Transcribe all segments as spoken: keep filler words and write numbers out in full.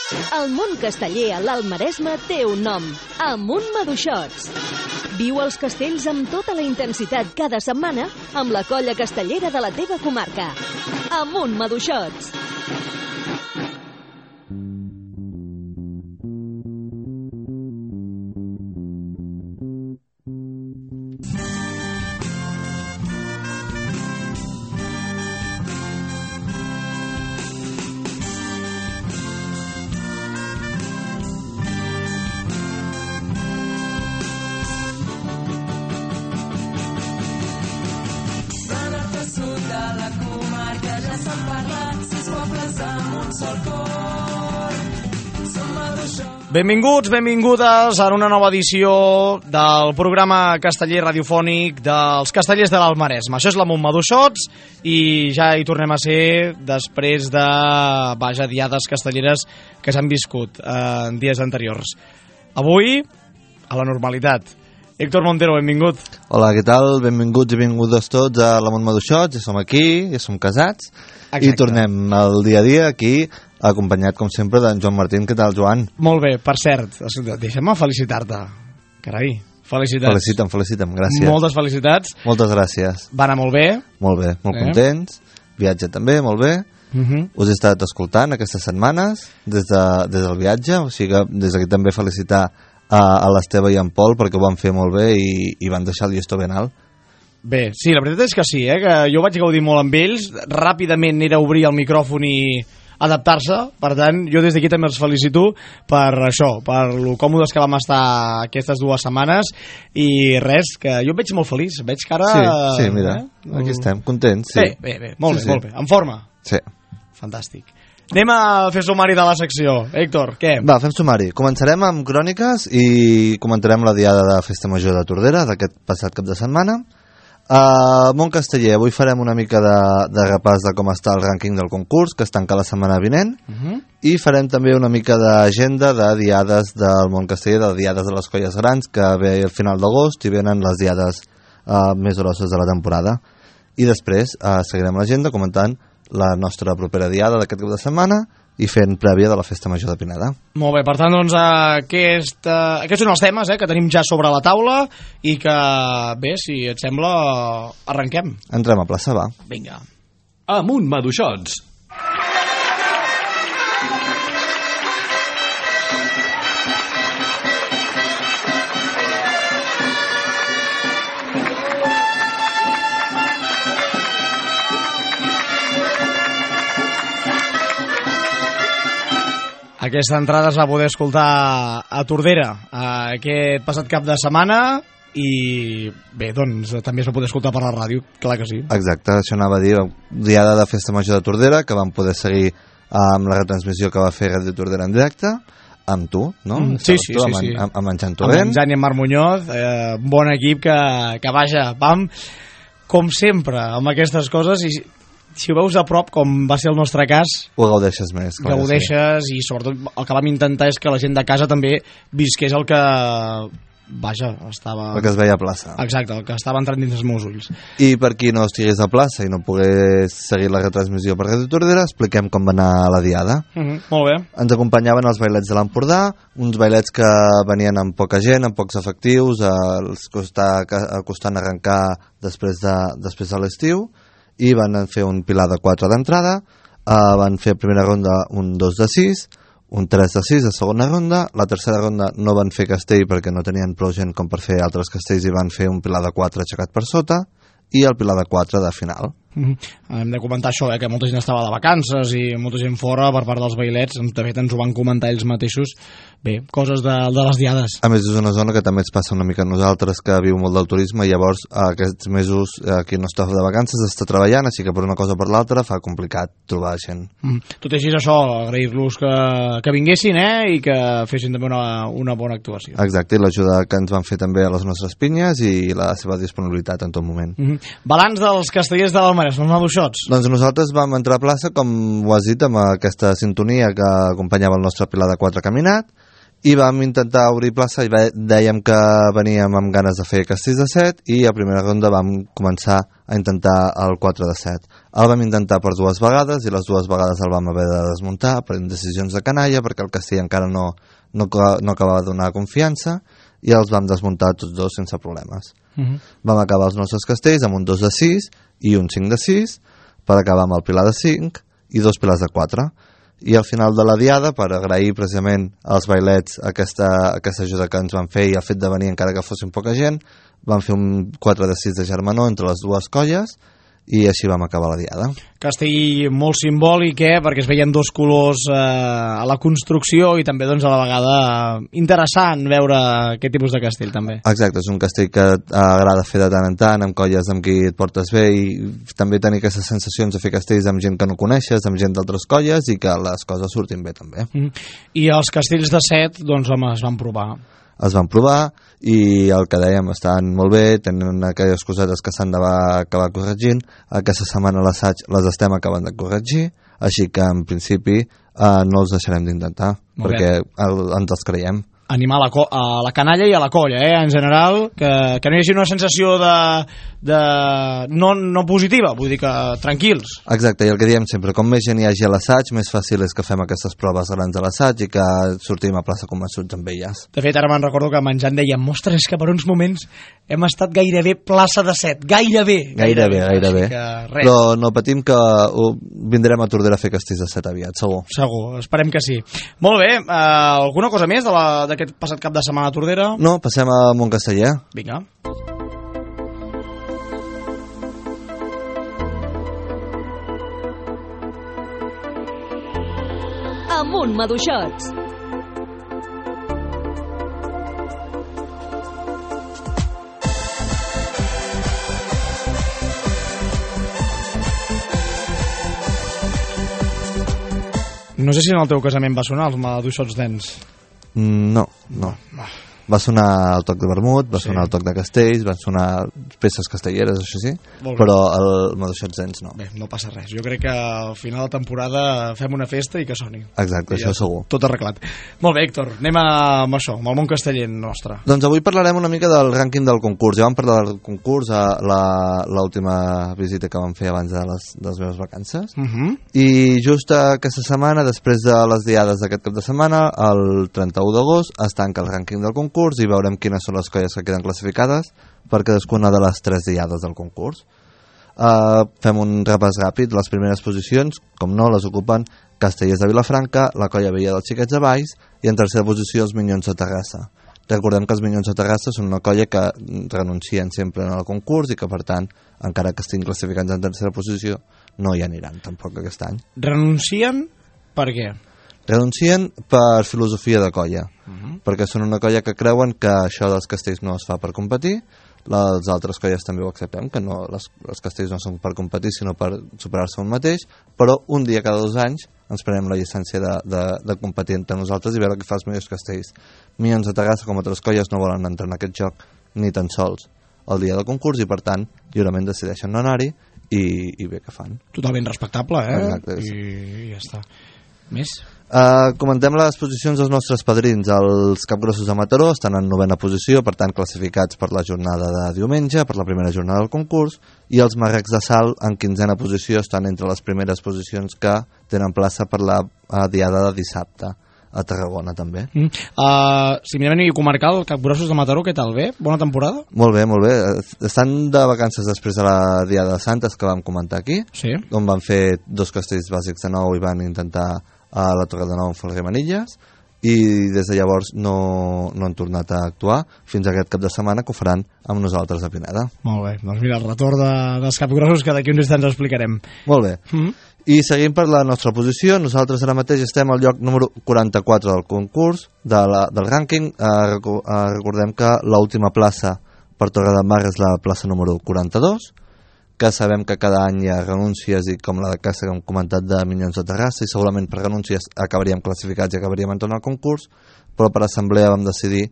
El món casteller a l'Alt Maresme té un nom, Amunt Maduixots. Viu els castells amb tota la intensitat cada setmana amb la colla castellera de la teva comarca. Amunt Maduixots. Benvinguts, benvingudes a una nova edició del programa casteller radiofònic dels castellers de l'Alt Maresme. Això és l'Amunt Maduixots i ja hi tornem a ser després de, vaja, diades castelleres que s'han viscut eh, en dies anteriors. Avui, a la normalitat. Héctor Montero, benvingut. Hola, què tal? Benvinguts i benvingudes tots a l'Amunt Maduixots. Ja som aquí, ja som casats. Exacte. I tornem al dia a dia aquí, acompanyat, com sempre, d'en Joan Martín. Què tal, Joan? Molt bé, per cert, deixa'm felicitar-te. Carai, felicitats. Felicita'm, felicita'm, gràcies. Moltes felicitats. Moltes gràcies. Va anar molt bé. Molt bé, molt eh? contents. Viatge també, molt bé. Uh -huh. Us he estat escoltant aquestes setmanes des, de, des del viatge, o sigui que des d'aquí també felicitar a, a l'Esteve i en Pol perquè ho van fer molt bé i, i van deixar el llistó ben alt. Bé, sí, la veritat és que sí, eh? Que jo vaig gaudir molt amb ells, ràpidament era obrir el micròfon i adaptar-se, per tant, jo des d'aquí també els felicito per això, per lo còmodes que vam estar aquestes dues setmanes i res, que jo em veig molt feliç, veig que ara... Sí, sí, mira, eh? Aquí estem, contents, sí. Bé, bé, bé, molt sí, bé, sí. molt bé, en forma. Sí. Fantàstic. Anem a fer sumari de la secció. Héctor, què? Va, fem sumari. Començarem amb cròniques i comentarem la diada de Festa Major de Tordera d'aquest passat cap de setmana. Uh, Mont Casteller, avui farem una mica de, de repàs de com està el rànquing del concurs, que es tanca la setmana vinent, uh -huh. i farem també una mica d'agenda de diades del Mont Casteller, de diades de les colles grans, que ve al final d'agost i venen les diades uh, més grosses de la temporada. I després uh, seguirem l'agenda comentant la nostra propera diada d'aquest cap de setmana i fent prèvia de la Festa Major de Pineda. Molt bé, per tant, doncs, aquest, uh, aquests són els temes eh, que tenim ja sobre la taula i que, bé, si et sembla, arrenquem. Entrem a plaça, va. Vinga. Amunt Maduixots. Aquesta entrada es va poder escoltar a Tordera aquest passat cap de setmana i bé, doncs també es va poder escoltar per la ràdio, clar que sí. Exacte, això anava a dir, diada de Festa Major de Tordera, que vam poder seguir amb la retransmissió que va fer Ràdio Tordera en directe, amb tu, no? Mm, sí, sí, tu, sí, amb, sí. Amb, amb en Jan Torrent. Amb en Jan i en Marc Muñoz, eh, bon equip que, que vaja, vam, com sempre, amb aquestes coses i si ho veus a prop, com va ser el nostre cas, ho gaudeixes més. Gaudeixes sí. I sobretot el que vam intentar és que la gent de casa també visqués el que, vaja, estava... El que es veia a plaça. Exacte, el que estava entrant dins els meus ulls. I per qui no estigués a plaça i no pogués seguir la retransmissió per Ràdio Tordera, expliquem com va anar la diada. Uh -huh, molt bé. Ens acompanyaven els bailets de l'Empordà, uns bailets que venien amb poca gent, amb pocs efectius, els costar, costant arrencar després de, després de l'estiu, i van fer un pilar de quatre d'entrada, uh, van fer primera ronda un dos de sis, un tres de sis de segona ronda, la tercera ronda no van fer castell perquè no tenien prou gent com per fer altres castells i van fer un pilar de quatre aixecat per sota i el pilar de quatre de final. Mm-hmm. Hem de comentar això, eh, que molta gent estava de vacances i molta gent fora per part dels bailets, de fet ens ho van comentar ells mateixos. Bé, coses de, de les diades. A més és una zona que també ens passa una mica a nosaltres, que viu molt del turisme, i llavors aquests mesos eh, qui no està de vacances està treballant, així que per una cosa o per l'altra fa complicat trobar gent. Mm. Tot i així això, agrair-los que, que vinguessin eh, i que fessin també una, una bona actuació. Exacte, i l'ajuda que ens van fer també a les nostres pinyes i la seva disponibilitat en tot moment. Mm-hmm. Balanç dels castellers de l'Alt Maresme, els Maduixots. Doncs nosaltres vam entrar a plaça, com ho has dit, amb aquesta sintonia que acompanyava el nostre pilar de quatre caminat, i vam intentar obrir plaça i dèiem que veníem amb ganes de fer castells de set i a primera ronda vam començar a intentar el quatre de set. El vam intentar per dues vegades i les dues vegades el vam haver de desmuntar per decisions de canalla perquè el castell encara no, no, no acabava de donar confiança i els vam desmuntar tots dos sense problemes. Uh-huh. Vam acabar els nostres castells amb un dos de sis i un cinc de sis per acabar amb el pilar de cinc i dos pilars de quatre. I al final de la diada, per agrair precisament als bailets aquesta, aquesta ajuda que ens van fer i el fet de venir encara que fossin poca gent, vam fer un quatre de sis de germanor entre les dues colles i així vam acabar la diada. Castell molt simbòlic, eh? Perquè es veien dos colors eh, a la construcció i també doncs, a la vegada interessant veure aquest tipus de castell també. Exacte, és un castell que agrada fer de tant en tant, amb colles amb qui et portes bé i també tenir aquestes sensacions de fer castells amb gent que no coneixes, amb gent d'altres colles i que les coses surtin bé també. Mm. I els castells de set, doncs home, es van provar. Es van provar i el que dèiem estan molt bé, tenen aquelles cosetes que s'han d'acabar corregint. Aquesta setmana l'assaig les estem acabant de corregir, així que en principi eh, no els deixarem d'intentar perquè el, ens els creiem. Animar la a la canalla i a la colla, eh, en general, que, que no hi hagi una sensació de, de no, no positiva, vull dir que tranquils. Exacte, i el que diem sempre, com més gent hi hagi a l'assaig, més fàcil és que fem aquestes proves grans a l'assaig i que sortim a plaça convençuts amb elles. De fet, ara me'n recordo que menjant dèiem, ostres, és que per uns moments hem estat gairebé plaça de set, gairebé. Gairebé, gairebé. gairebé. Però no patim que uh, vindrem a Tordera a fer castells de set aviat, segur. Segur, esperem que sí. Molt bé, uh, alguna cosa més de la, d'aquest passat cap de setmana a Tordera? No, passem a Montcasteller. Vinga. Amunt Maduixots. No sé si en el teu casament va sonar els Maduixots Dents. No, no. Va sonar el toc de vermut, va sí. sonar el toc de castells, van sonar peces castelleres, això sí, però el Maduixots Dents no. Bé, no passa res. Jo crec que al final de temporada fem una festa i que soni. Exacte, I això ja segur. Tot arreglat. Molt bé, Héctor, anem amb això, amb el món casteller nostre. Doncs avui parlarem una mica del rànquing del concurs. Ja vam parlar del concurs a l'última visita que vam fer abans de les, de les meves vacances. Uh -huh. I just aquesta setmana, després de les diades d'aquest cap de setmana, el trenta-u d'agost, es tanca el rànquing del concurs i veurem quines són les colles que queden classificades per cadascuna de les tres diades del concurs. Uh, fem un repàs ràpid. Les primeres posicions, com no, les ocupen Castellers de Vilafranca, la colla vella dels Xiquets de Valls i en tercera posició els Minyons de Terrassa. Recordem que els Minyons de Terrassa són una colla que renuncien sempre al concurs i que per tant, encara que estiguin classificats en tercera posició, no hi aniran tampoc aquest any. Renuncien per què? Renuncien per filosofia de colla, uh-huh. perquè són una colla que creuen que això dels castells no es fa per competir. Les altres colles també ho acceptem, que no, les, els castells no són per competir sinó per superar-se un mateix, però un dia cada dos anys ens prenem la llicència de, de, de competir entre nosaltres i veure qui fa els millors castells. Minyons de Terrassa, com altres colles, no volen entrar en aquest joc ni tan sols el dia del concurs i per tant lliurement decideixen no anar-hi i, i bé que fan. Totalment respectable, eh? Exacte, sí. I, i ja està. Més? Uh, comentem les posicions dels nostres padrins. Els Capgrossos de Mataró estan en novena posició, per tant classificats per la jornada de diumenge, per la primera jornada del concurs, i els Marrecs de Salt en quinzena posició estan entre les primeres posicions que tenen plaça per la uh, diada de dissabte a Tarragona també. Mm. Uh, si mirem a nivell comarcal, Capgrossos de Mataró, què tal? Bé? Bona temporada? Molt bé, molt bé. Estan de vacances després de la diada de Santes que vam comentar aquí, sí. on van fer dos castells bàsics de nou i van intentar a la Torre de Nou en Folguer Manilles i des de llavors no, no han tornat a actuar fins a aquest cap de setmana que ho faran amb nosaltres a Pineda. Molt bé, doncs mira, el retorn de, dels Capgrossos que d'aquí uns instants explicarem. Molt bé. Mm-hmm. I seguim per la nostra posició. Nosaltres ara mateix estem al lloc número quaranta-quatre del concurs, de la, del rànquing. Eh, eh, recordem que l'última plaça per Torre de Mar és la plaça número quaranta-dos, que sabem que cada any hi ha renúncies i com la de casa que hem comentat de Minyons de Terrassa i segurament per renúncies acabaríem classificats i acabaríem entrant al concurs, però per assemblea vam decidir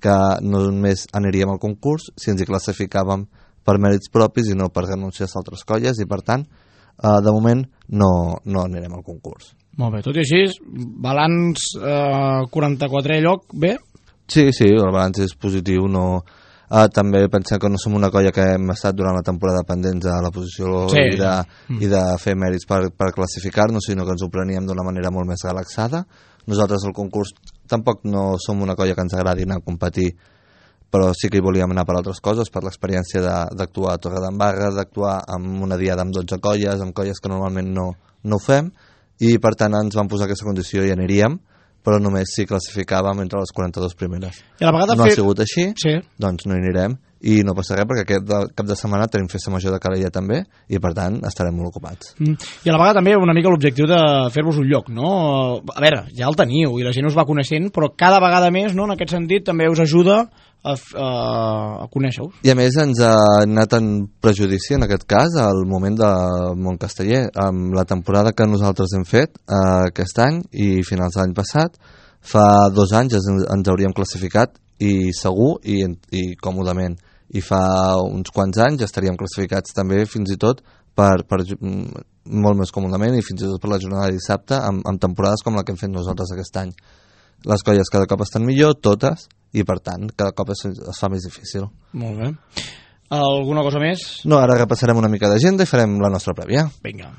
que no només aniríem al concurs si ens hi classificàvem per mèrits propis i no per renúncies d'altres colles i per tant, eh, de moment no, no anirem al concurs. Molt bé, tot i així, balanç eh, quaranta-quatre lloc, bé? Sí, sí, el balanç és positiu, no... Uh, també pensem que no som una colla que hem estat durant la temporada pendents a la posició sí. i, de, mm. i de fer mèrits per, per classificar-nos, sinó que ens ho preníem d'una manera molt més relaxada. Nosaltres al concurs tampoc no som una colla que ens agradi anar a competir, però sí que hi volíem anar per altres coses, per l'experiència d'actuar a Torredembarra, d'actuar amb una diada amb dotze colles, amb colles que normalment no, no ho fem, i per tant ens van posar aquesta condició i aniríem, però només si classificàvem entre les quaranta-dues primeres. I a la vegada no fer... ha sigut així, sí. doncs no hi anirem, i no passa res perquè aquest de, cap de setmana tenim festa major de Calella també, i per tant estarem molt ocupats. Mm. I a la vegada també una mica l'objectiu de fer-vos un lloc, no? A veure, ja el teniu i la gent us va coneixent, però cada vegada més, no?, en aquest sentit també us ajuda a, a, a conèixer-vos. I a més ens ha anat en prejudici en aquest cas al moment de Montcasteller, amb la temporada que nosaltres hem fet eh, aquest any i finals de l'any passat. Fa dos anys ens, ens hauríem classificat i segur i, i còmodament, i fa uns quants anys estaríem classificats també fins i tot per, per molt més còmodament i fins i tot per la jornada de dissabte amb, amb temporades com la que hem fet nosaltres aquest any. Les colles cada cop estan millor, totes, i per tant cada cop es, es fa més difícil. Molt bé. Alguna cosa més? No, ara repassarem una mica d'agenda i farem la nostra prèvia. Vinga.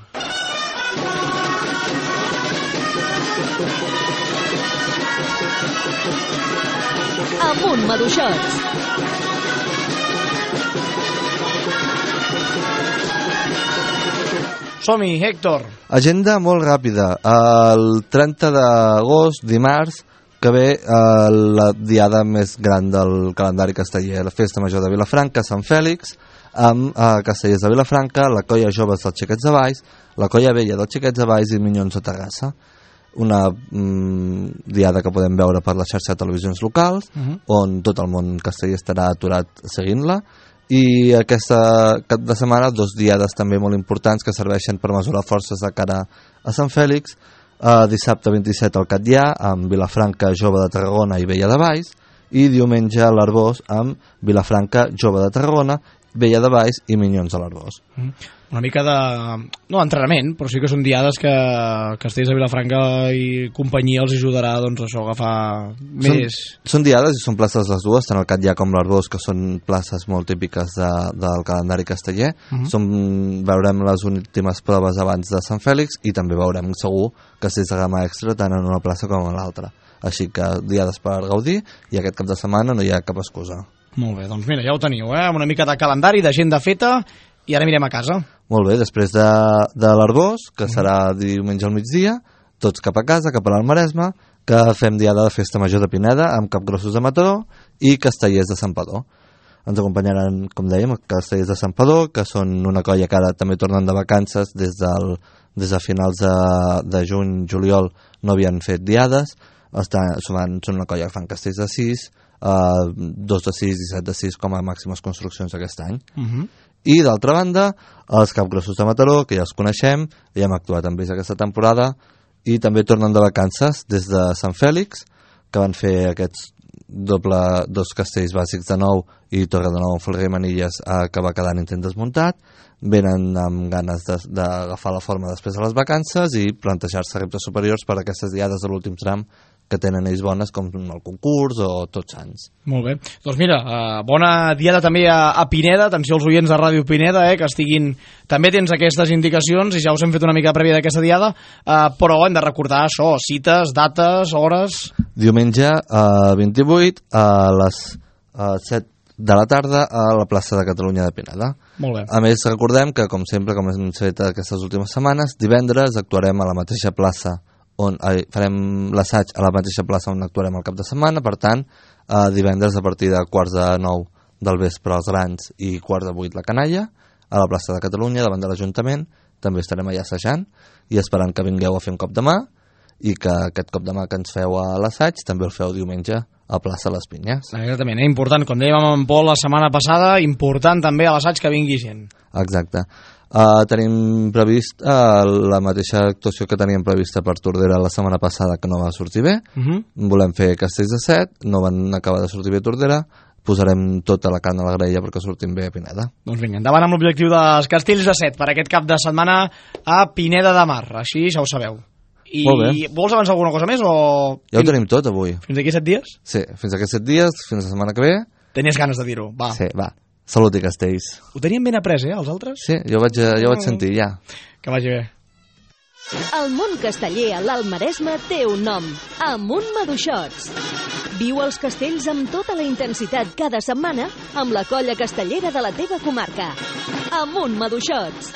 Amunt, maduixots! Som-hi, Héctor! Agenda molt ràpida. El trenta d'agost, dimarts, que ve eh, la diada més gran del calendari casteller, la Festa Major de Vilafranca, Sant Fèlix, amb eh, Castellers de Vilafranca, la colla joves dels Xiquets de Valls, la colla vella dels Xiquets de Valls i Minyons de Terrassa. Una mm, diada que podem veure per la xarxa de televisions locals, uh -huh. on tot el món casteller estarà aturat seguint-la, i aquesta cap de setmana dos diades també molt importants que serveixen per mesurar forces de cara a Sant Fèlix. Uh, dissabte vint-i-set al Catllà amb Vilafranca Jove de Tarragona i Vella de Valls, i diumenge a l'Arbós amb Vilafranca Jove de Tarragona, Vella de Valls i Minyons de l'Arbós. Mm. Una mica de... no entrenament, però sí que són diades que Castells de Vilafranca i companyia els ajudarà, doncs, això, a agafar més... Són, són diades i són places les dues, tant el Catllà com l'Arbós, que són places molt típiques de, del calendari casteller. Uh-huh. Som, veurem les últimes proves abans de Sant Fèlix i també veurem segur castells de gamma extra tant en una plaça com en l'altra. Així que diades per gaudir, i aquest cap de setmana no hi ha cap excusa. Molt bé, doncs mira, ja ho teniu, eh? Una mica de calendari, d'agenda feta, i ara mirem a casa. Molt bé, després de, de l'Arbós, que serà diumenge al migdia, tots cap a casa, cap a l'Almaresme, que fem diada de Festa Major de Pineda amb Capgrossos de Mataró i Castellers de Santpedor. Ens acompanyaran, com dèiem, Castellers de Santpedor, que són una colla que ara també tornen de vacances, des, del, des de finals de, de juny, juliol, no havien fet diades. Estan, són una colla que fan castells de sis, uh, dos de sis i set de sis com a màximes construccions aquest any. Uh-huh. I d'altra banda, els Capgrossos de Mataró, que ja els coneixem, ja hem actuat amb ells aquesta temporada, i també tornen de vacances des de Sant Fèlix, que van fer aquests doble, dos castells bàsics de nou i Torre de Nou amb Folguer i Manilles, eh, que va quedar en intent desmuntat. Venen amb ganes d'agafar la forma després de les vacances i plantejar-se reptes superiors per a aquestes diades de l'últim tram que tenen ells bones, com el concurs o Tots Sants. Molt bé. Doncs mira, uh, bona diada també a, a Pineda, atenció als oients de Ràdio Pineda, eh, que estiguin... També tens aquestes indicacions i ja us hem fet una mica prèvia d'aquesta diada, uh, però hem de recordar això, cites, dates, hores... Diumenge uh, vint-i-vuit a les uh, set de la tarda a la plaça de Catalunya de Pineda. Molt bé. A més, recordem que, com sempre, com hem fet aquestes últimes setmanes, divendres actuarem a la mateixa plaça on eh, farem l'assaig a la mateixa plaça on actuarem el cap de setmana. Per tant, eh, divendres a partir de quarts de nou del vespre els Grans i quarts de vuit la Canalla, a la plaça de Catalunya davant de l'Ajuntament. També estarem allà assajant i esperant que vingueu a fer un cop de mà, i que aquest cop de mà que ens feu a l'assaig també el feu diumenge a plaça Les Pinyes. Exactament, eh? Important, com dèiem amb en Pol la setmana passada, important també a l'assaig que vingui gent. Exacte. Uh, tenim previst uh, la mateixa actuació que teníem prevista per Tordera la setmana passada, que no va sortir bé. Uh-huh. Volem fer Castells de Set, no van acabar de sortir bé Tordera, posarem tota la carn a la graella perquè sortim bé a Pineda. Doncs vinga, endavant amb l'objectiu dels Castells de Set per aquest cap de setmana a Pineda de Mar, així ja ho sabeu. I Molt bé. vols avançar alguna cosa més o... Ja ho tenim tot avui. Fins aquí set dies? Sí, fins aquests set dies, fins la setmana que ve. Tenies ganes de dir-ho, va. Sí, va. Salut i castells. Ho teníem ben après, eh, els altres? Sí, jo vaig, jo ho vaig sentir, ja. Que vagi bé. El món casteller a l'Alt Maresme té un nom, Amunt Maduixots. Viu els castells amb tota la intensitat cada setmana amb la colla castellera de la teva comarca. Amunt Maduixots.